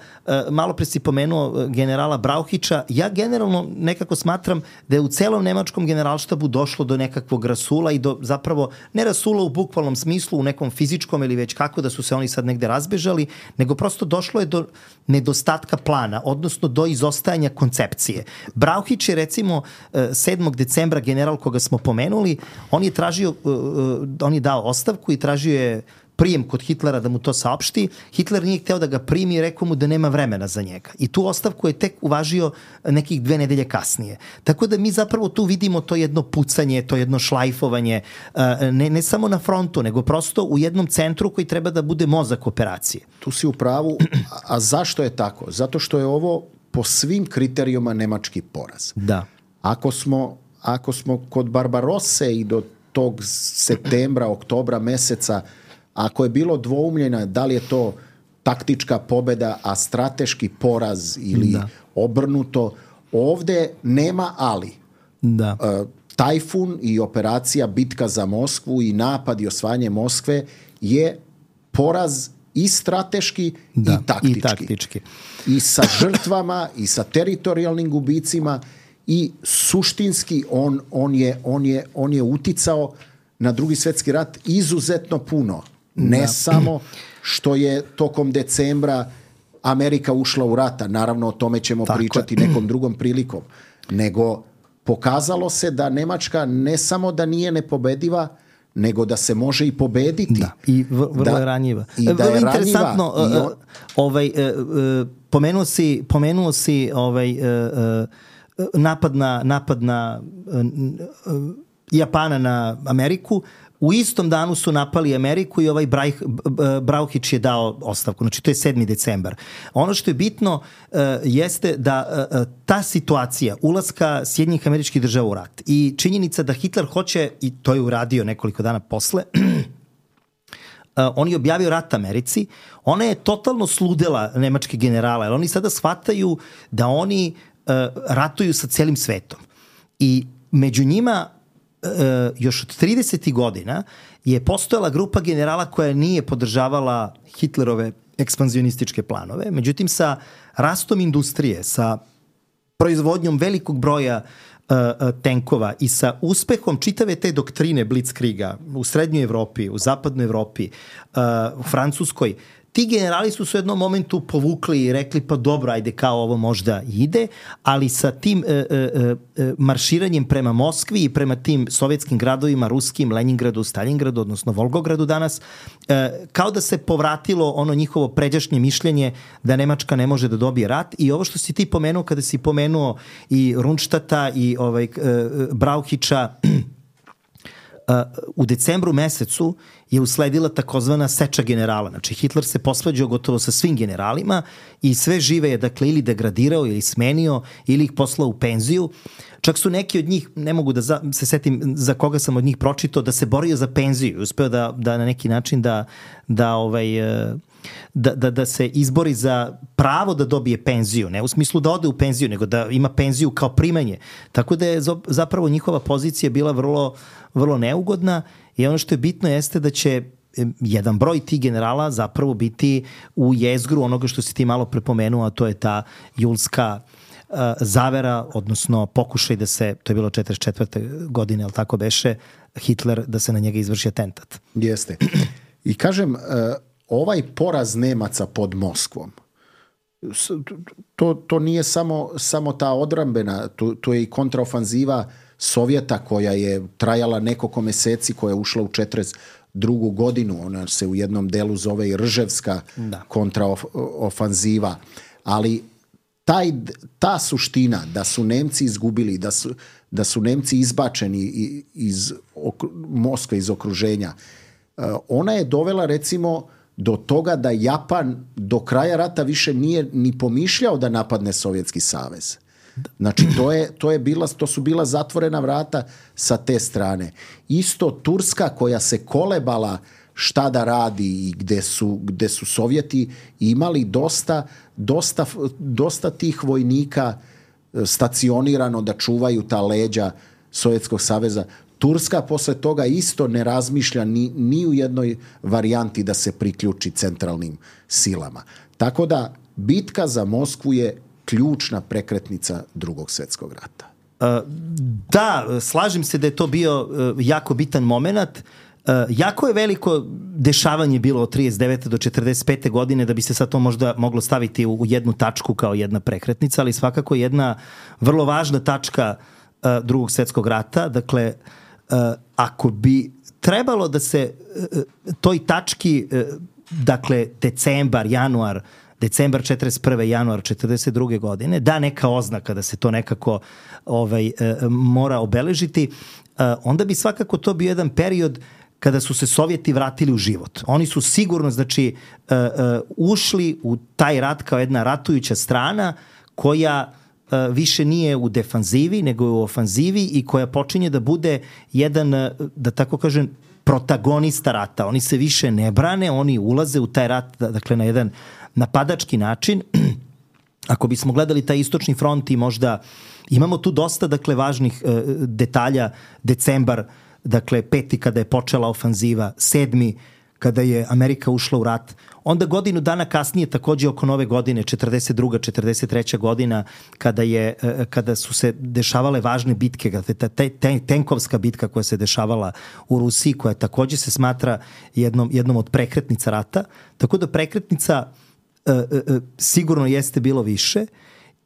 malo pre si pomenuo generala Brauhića, ja generalno nekako smatram da je u celom nemačkom generalštabu došlo do nekakvog rasula i do zapravo, ne rasula u bukvalnom smislu, u nekom fizičkom ili već kako da su se oni sad negde razbežali, nego prosto došlo je do nedostatka plana, odnosno do izostajanja koncepcije. Brauhić je recimo 7. decembra general koga smo pomenuli, on je dao ostavku i tražio je prijem kod Hitlera da mu to saopšti. Hitler nije hteo da ga primi i rekao mu da nema vremena za njega. I tu ostavku je tek uvažio nekih 2 nedelje kasnije. Tako da mi zapravo tu vidimo to jedno pucanje, to jedno šlajfovanje, ne samo na frontu, nego prosto u jednom centru koji treba da bude mozak operacije. Tu si u pravu. A zašto je tako? Zato što je ovo po svim kriterijuma nemački poraz. Da. Ako smo kod Barbarosse i do tog septembra, oktobra meseca, ako je bilo dvoumljena da li je to taktička pobeda, a strateški poraz ili obrnuto, ovde nema ali. Da. Tajfun i operacija Bitka za Moskvu i napad i osvajanje Moskve je poraz i strateški i taktički. I sa žrtvama i sa teritorijalnim gubicima i suštinski on je uticao na Drugi svjetski rat izuzetno puno. Ne samo što je tokom decembra Amerika ušla u rata, naravno o tome ćemo pričati nekom drugom prilikom, nego pokazalo se da Nemačka ne samo da nije nepobediva, nego da se može i pobediti. Da, i vrlo je ranjiva. I da je interesantno, pomenuo si napad na Japana na Ameriku. U istom danu su napali Ameriku i Brauhić je dao ostavku. Znači, to je 7. decembar. Ono što je bitno jeste da ta situacija ulaska Sjedinjenih Američkih Država u rat i činjenica da Hitler hoće, i to je uradio nekoliko dana posle, on je objavio rat Americi, ona je totalno sludela nemačke generale, jer oni sada shvataju da oni ratuju sa celim svetom. I među njima još od 30. godina je postojala grupa generala koja nije podržavala Hitlerove ekspanzionističke planove. Međutim, sa rastom industrije, sa proizvodnjom velikog broja tenkova i sa uspehom čitave te doktrine Blitzkriega u Srednjoj Evropi, u Zapadnoj Evropi, u Francuskoj, ti generali su se u jednom momentu povukli i rekli pa dobro, ajde kao ovo možda ide, ali sa tim marširanjem prema Moskvi i prema tim sovjetskim gradovima, ruskim, Leningradu, Stalingradu, odnosno Volgogradu danas, kao da se povratilo ono njihovo pređašnje mišljenje da Nemačka ne može da dobije rat. I ovo što si ti pomenuo, kada si pomenuo i Rundstadta i Brauhića, u decembru mesecu je usledila takozvana seča generala. Znači, Hitler se posvađao gotovo sa svim generalima i sve žive je, dakle, ili degradirao ili smenio ili ih poslao u penziju. Čak su neki od njih, ne mogu da se setim za koga sam od njih pročitao, da se borio za penziju i uspeo da na neki način da se izbori za pravo da dobije penziju, ne u smislu da ode u penziju, nego da ima penziju kao primanje. Tako da je zapravo njihova pozicija bila vrlo, vrlo neugodna i ono što je bitno jeste da će jedan broj tih generala zapravo biti u jezgru onoga što si ti malo prepomenuo, a to je ta julska zavera, odnosno pokušaj da se, to je bilo 44. godine, ali tako beše, Hitler, da se na njega izvrši atentat. Jeste. I kažem, ovaj poraz Nemaca pod Moskvom, to nije samo ta odbrambena, to je i kontraofanziva Sovjeta koja je trajala nekoliko meseci, koja je ušla u 42. godinu. Ona se u jednom delu zove i Rževska kontraofanziva. Ali ta suština da su Nemci izgubili, da su Nemci izbačeni iz Moskve, iz okruženja, ona je dovela recimo do toga da Japan do kraja rata više nije ni pomišljao da napadne Sovjetski savez. Znači to su bila zatvorena vrata sa te strane. Isto Turska koja se kolebala šta da radi i gde su Sovjeti imali dosta tih vojnika stacionirano da čuvaju ta leđa Sovjetskog saveza. Turska posle toga isto ne razmišlja ni u jednoj varijanti da se priključi centralnim silama. Tako da bitka za Moskvu je ključna prekretnica Drugog svjetskog rata. Da, slažem se da je to bio jako bitan moment. Jako je veliko dešavanje bilo od 39. do 45. godine da bi se sad to možda moglo staviti u jednu tačku kao jedna prekretnica, ali svakako jedna vrlo važna tačka Drugog svjetskog rata. Dakle, ako bi trebalo da se toj tački, dakle decembar 41. januar 42. godine, da neka oznaka da se to nekako mora obeležiti, onda bi svakako to bio jedan period kada su se Sovjeti vratili u život. Oni su sigurno, znači, ušli u taj rat kao jedna ratujuća strana koja više nije u defanzivi, nego je u ofanzivi i koja počinje da bude jedan, da tako kažem, protagonista rata. Oni se više ne brane, oni ulaze u taj rat, dakle, na jedan napadački način. Ako bismo gledali taj istočni front i možda imamo tu dosta, dakle, važnih detalja. Decembar, dakle, 5. kada je počela ofanziva, 7. kada je Amerika ušla u rat, onda godinu dana kasnije, takođe oko nove godine, 42. 43. godina, kada su se dešavale važne bitke, tenkovska bitka koja se dešavala u Rusiji, koja takođe se smatra jednom od prekretnica rata, tako da prekretnica sigurno jeste bilo više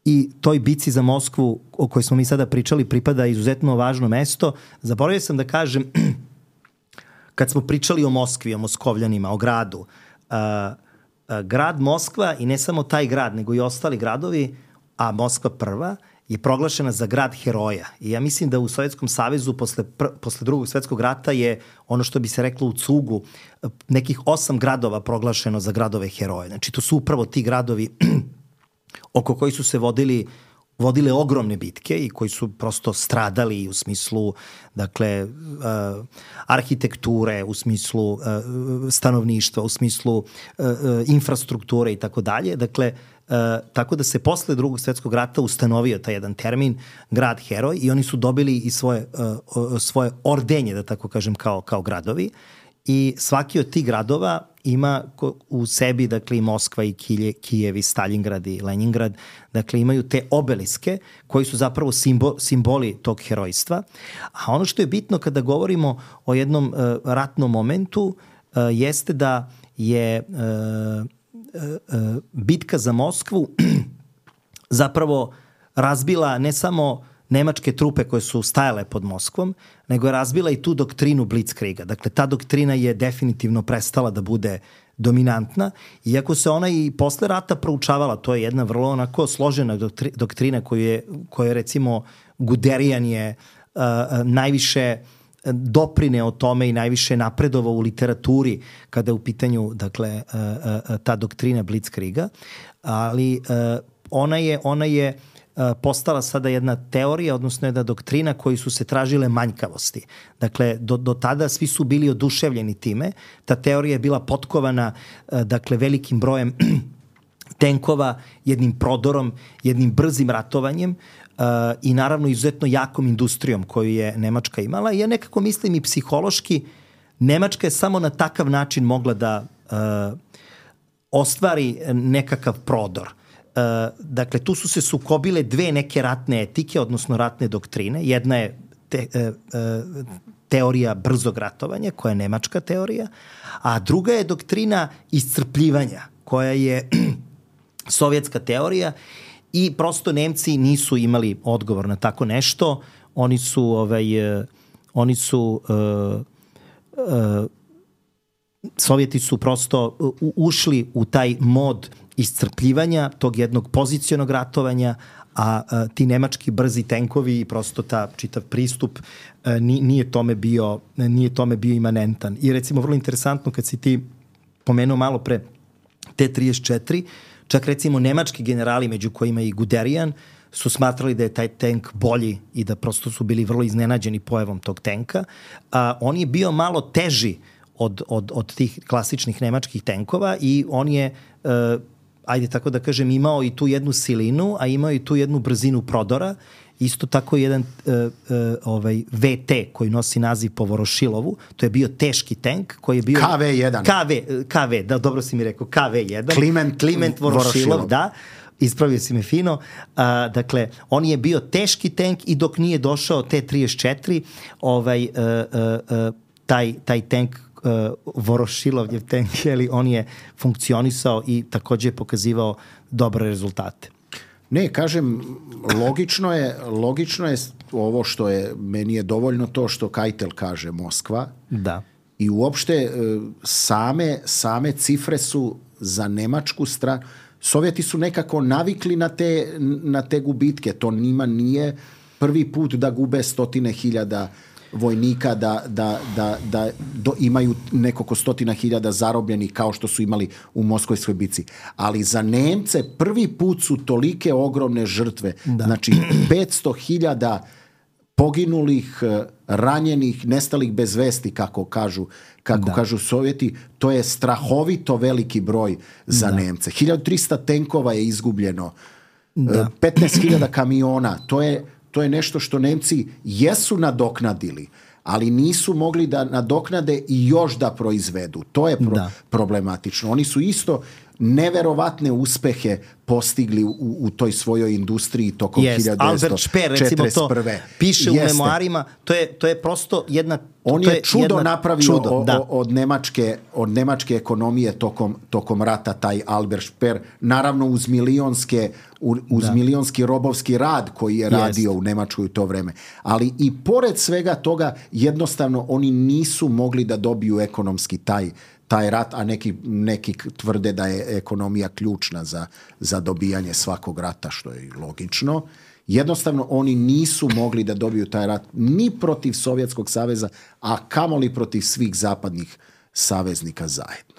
i toj bici za Moskvu o kojoj smo mi sada pričali pripada izuzetno važno mesto. Zaboravio sam da kažem, kad smo pričali o Moskvi, o Moskovljanima, o gradu, grad Moskva i ne samo taj grad, nego i ostali gradovi, a Moskva prva, je proglašena za grad heroja. I ja mislim da u Sovjetskom savezu posle Drugog svjetskog rata je ono što bi se reklo u cugu, nekih 8 gradova proglašeno za gradove heroje. Znači to su upravo ti gradovi oko koji su se vodile ogromne bitke i koji su prosto stradali u smislu, dakle, arhitekture, u smislu stanovništva, u smislu infrastrukture i tako dalje. Dakle, tako da se posle Drugog svjetskog rata ustanovio taj jedan termin grad heroj i oni su dobili i svoje ordenje, da tako kažem, kao gradovi. I svaki od tih gradova ima u sebi, dakle, i Moskva i Kijev i Stalingrad i Leningrad, dakle, imaju te obeliske koji su zapravo simboli tog herojstva. A ono što je bitno kada govorimo o jednom ratnom momentu jeste da je bitka za Moskvu zapravo razbila ne samo nemačke trupe koje su stajale pod Moskvom, nego je razbila i tu doktrinu Blitzkriega. Dakle, ta doktrina je definitivno prestala da bude dominantna, iako se ona i posle rata proučavala. To je jedna vrlo onako složena doktrina koju je recimo Guderian je najviše doprineo tome i najviše napredovao u literaturi kada je u pitanju, dakle, ta doktrina Blitzkriega, ali ona je postala sada jedna teorija, odnosno jedna doktrina koji su se tražile manjkavosti. Dakle, do tada svi su bili oduševljeni time. Ta teorija je bila potkovana, dakle, velikim brojem tenkova, jednim prodorom, jednim brzim ratovanjem i naravno izuzetno jakom industrijom koju je Nemačka imala. I ja nekako mislim i psihološki, Nemačka je samo na takav način mogla da ostvari nekakav prodor. Dakle, tu su se sukobile dve neke ratne etike, odnosno ratne doktrine. Jedna je teorija brzog ratovanja, koja je nemačka teorija, a druga je doktrina iscrpljivanja, koja je sovjetska teorija i prosto Nemci nisu imali odgovor na tako nešto. Sovjeti su prosto ušli u taj mod iscrpljivanja, tog jednog pozicionog ratovanja, a ti nemački brzi tenkovi i prosto ta čitav pristup nije tome bio imanentan. I recimo vrlo interesantno kad si ti pomenuo malo pre T-34, čak recimo nemački generali, među kojima i Guderian, su smatrali da je taj tank bolji i da prosto su bili vrlo iznenađeni pojavom tog tanka. On je bio malo teži od tih klasičnih nemačkih tenkova i on je ajde tako da kažem, imao i tu jednu silinu, a imao i tu jednu brzinu prodora. Isto tako jedan VT koji nosi naziv po Vorošilovu, to je bio teški tank koji je bio... KV, da, dobro si mi rekao, KV1. Kliment Vorošilov, da. Ispravio si me fino. Dakle, on je bio teški tank i dok nije došao T-34, taj tank Vorošilovljev tank, on je funkcionisao i takođe je pokazivao dobre rezultate. Ne, kažem, logično je ovo što je, meni je dovoljno to što Keitel kaže Moskva. Da. I uopšte same cifre su za nemačku stranu. Sovjeti su nekako navikli na te gubitke. To njima nije prvi put da gube 100.000 vojnika, da imaju nekoliko 100.000 zarobljenih kao što su imali u Moskvojskoj bici. Ali za Nemce prvi put su tolike ogromne žrtve. Da. Znači 500.000 poginulih, ranjenih, nestalih bez vesti, kako kažu Sovjeti. To je strahovito veliki broj za Nemce. 1300 tenkova je izgubljeno. 15.000 kamiona. To je nešto što Nemci jesu nadoknadili, ali nisu mogli da nadoknade i još da proizvedu. To je problematično. Oni su isto neverovatne uspehe postigli u toj svojoj industriji tokom 1941. Albert Speer, recimo to piše u memoarima, to je prosto jedna... On je čudo napravio od nemačke ekonomije tokom rata, taj Albert Speer, naravno uz milionski robovski rad koji je radio u Nemačkoj u to vreme. Ali i pored svega toga jednostavno oni nisu mogli da dobiju ekonomski taj rat, a neki tvrde da je ekonomija ključna za dobijanje svakog rata, što je logično. Jednostavno oni nisu mogli da dobiju taj rat ni protiv Sovjetskog saveza, a kamoli protiv svih zapadnih saveznika zajedno.